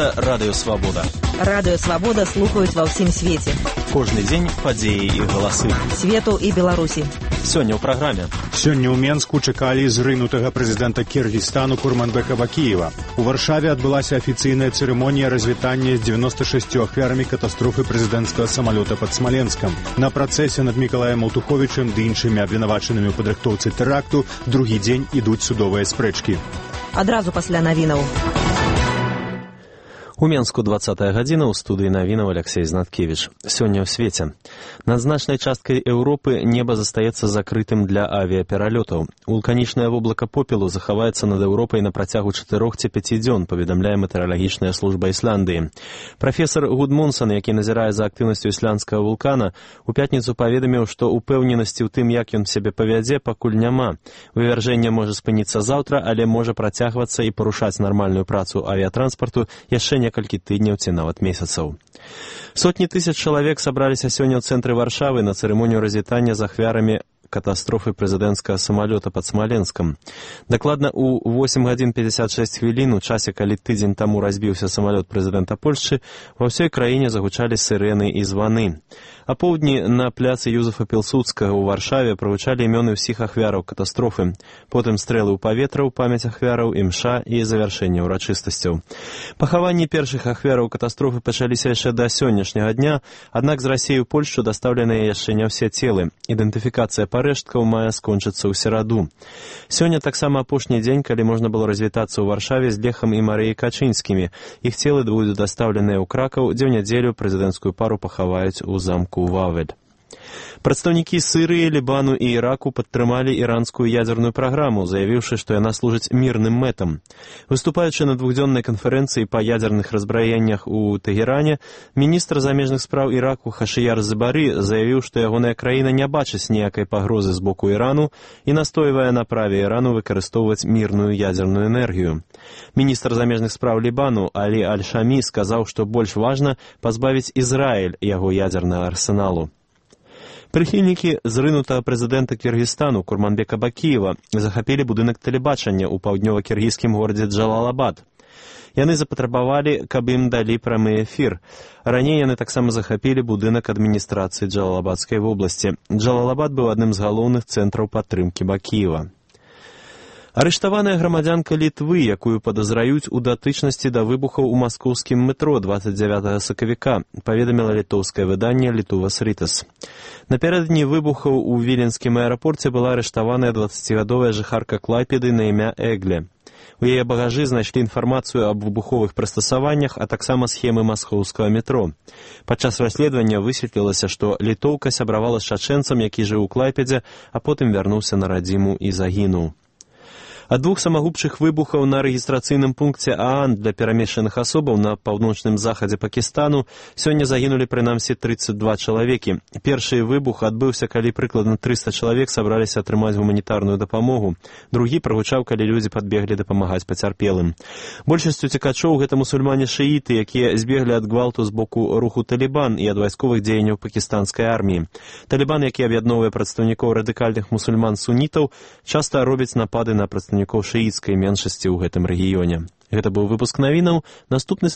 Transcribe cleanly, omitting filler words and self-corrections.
Гэта Радыё Свабода. Радыё Свабода слухаюць ва ўсім свеце. Кожны дзень падзеі і галасы. Свету і Беларусі. Сёння ў праграме. Сёння ў Менску чакалі зрынутага прэзідэнта Кіргізстану Курманбека Бакіева. У Варшаве адбылася афіцыйная цырымонія развітання з 96 ахвярамі катастрофы прэзідэнцкага самалёта пад Смаленскам. На працэсе над Мікалаем Алтуховічым ды іншымі абвінавачанымі ў падрыхтоўцы тэракту другі дзень ідуць судовыя спрэчкі. Адразу пасля навінаў. У Менску 20-я гадзіна, у студыі навінаў Алексей Знаткевіч. Сёння ў свеце. Над значнай часткай Еўропы неба застаецца закрытым для авіапералётаў. Вулканічнае воблака попелу захаваецца над Еўропай на працягу 4 ці 5 дзён, паведамляе метэаралагічная служба Ісландыі. Прафесар Гудмунсон, які назірае за актыўнасцю ісландскага вулкана, у пятніцу паведаміў, што упэўненасці ў тым, як ён сябе павядзе, пакуль няма. Вывяржэнне можа спыніцца заўтра, але можа працягвацца і парушаць нармальную працу авіятранспарту яшчэ некалькі тыдняў ці нават месяцаў. Сотні тысяч чалавек сабраліся сёння ў цэнтры Варшавы на цырымонію развітання з ахвярамі катастрофы прэзідэнцкага самалёта пад Смаленскам. Дакладна ў 8 гадзін 56 хвілін, у часе, калі тыдзень таму разбіўся самалёт прэзідэнта Польшчы, ва ўсёй краіне загучалі сырэны і званы. А поўдні на пляцы Юзефа Пілсудскага ў Варшаве прагучалі імёны ўсіх ахвяраў катастрофы. Потым стрэлы ў паветра ў памяць ахвяраў, імша і завяршэнне ўрачыстасцяў. Пахаванні першых ахвяраў катастрофы пачаліся яшчэ да сённяшняга дня, аднак з Расіі ў Польшчу дастаўленыя яшчэ не ўсе целы. Ідэнтыфікацыя парэшткаў мае скончыцца ў сераду. Сёння таксама апошні дзень, калі можна было развітацца ў Варшаве з Лехам і Марыяй Качынскімі. Іх целы будуць дастаўленыя ў Кракаў, дзе ў нядзелю прэзідэнцкую пару пахаваюць у замку Вавель. Прадстаўнікі Сырыі, Лібану і Іраку падтрымалі іранскую ядзерную праграму, заявіўшы, што яна служыць мірным мэтам. Выступаючы на двухдзённай канферэнцыі па ядзерных разбраеннях у Тэгеране, міністр замежных спраў Іраку Хашыяр Забары заявіў, што ягоная краіна не бачыць ніякай пагрозы з боку Ірану і настойвае на праве Ірану выкарыстоўваць мірную ядзерную энергію. Міністр замежных спраў Лібану Алі Аль-Шамі сказаў, што больш важна пазбавіць Ізраіль яго ядзернага арсеналу. Прыхільнікі зрынутага прэзідэнта Кіргізстану Курманбека Бакіева захапілі будынак тэлебачання ў паўднёва-кіргізскім горадзе Джалалабад. Яны запатрабавалі, каб ім далі прамы эфір. Раней яны таксама захапілі будынак адміністрацыі Джалалабадскай вобласці. Джалалабад быў адным з галоўных цэнтраў падтрымкі Бакіева. Арыштаваная грамадзянка Літвы, якую падазраюць у датычнасці да выбухаў у маскоўскім метро 29 сакавіка, паведаміла літоўскае выданне «Літувас Рытас». Напярэдадні выбухаў у віленскім аэрапорце была арыштаваная 20гадовая жыхарка Клайпеды на імя Эгле. У яе багажы знайшлі інфармацыю аб выбуховых прыстасаваннях, а таксама схемы маскоўскага метро. Падчас расследавання высветлілася, што літоўка сябравала з чачэнцам, які жыў у Клайпедзе, а потым вярнуўся на радзіму і загінуў. Ад 2 самагубчых выбухаў на рэгістрацыйным пункце ААН для перамешчаных асобаў на паўночным захадзе Пакістану сёння загінулі прынамсі 32 чалавекі. Першы выбух адбыўся, калі прыкладна 300 чалавек сабраліся атрымаць гуманітарную дапамогу. Другі прагучаў, калі людзі падбеглі дапамагаць пацярпелым. Большасцю цікачоў гэта мусульмане-шыіты, якія збеглі ад гвалту з боку руху Талібан і ад вайсковых дзеянняў пакістанскай арміі. Талібан, які аб'ядноўвае прадстаўнікоў радыкальных мусульман-сунітаў, часта робіць напады на прадстаўнікоў шыіцкай меншасці ў гэтым рэгіёне. Гэта быў выпуск навінаў. Наступны